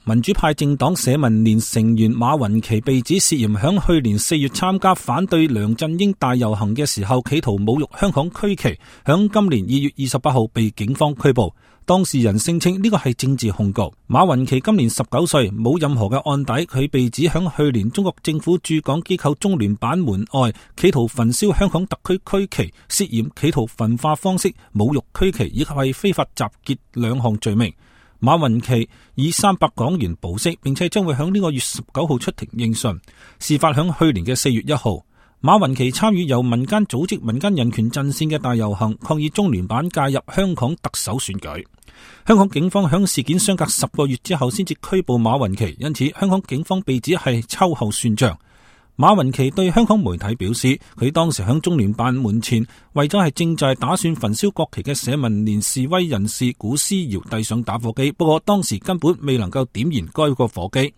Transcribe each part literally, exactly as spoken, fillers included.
民主派政黨社民連成員馬雲奇被指涉嫌響去年四月參加反對梁振英大遊行嘅時候，企圖侮辱香港區旗，響今年二月二十八號被警方拘捕。當事人聲稱呢個係政治控告。馬雲奇今年十九歲，冇任何嘅案底，佢被指響去年中國政府駐港機構中聯辦門外企圖焚燒香港特區區旗，涉嫌企圖焚化方式侮辱區旗以及係非法集結兩項罪名。馬雲奇以三百港元保釋，並且將會響呢個月十九號出庭應訊。事發響去年嘅四月一號。馬雲奇參與由民間組織民間人權陣線嘅大遊行，抗議中聯辦介入香港特首選舉。香港警方響事件相隔十個月之後先至拘捕馬雲奇，因此香港警方被指係秋後算賬。馬雲奇對香港媒體表示，佢當時響中聯辦門前為咗係正在打算焚燒國旗嘅社民連示威人士古思堯遞上打火機，不過當時根本未能夠點燃該個火機。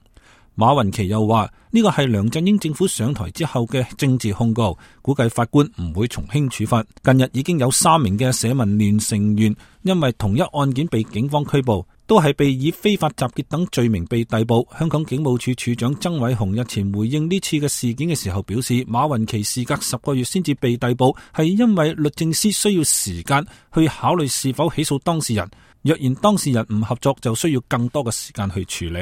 馬雲奇又話呢個係梁振英政府上台之後嘅政治控告，估計法官唔會從輕處罰。近日已經有三名嘅社民連成員因為同一案件被警方拘捕，都係被以非法集結等罪名被逮捕。香港警務處處長曾偉雄日前回應呢次嘅事件嘅時候表示，馬雲奇事隔十個月先至被逮捕，係因為律政司需要時間去考慮是否起訴當事人，若然當事人唔合作，就需要更多嘅時間去處理。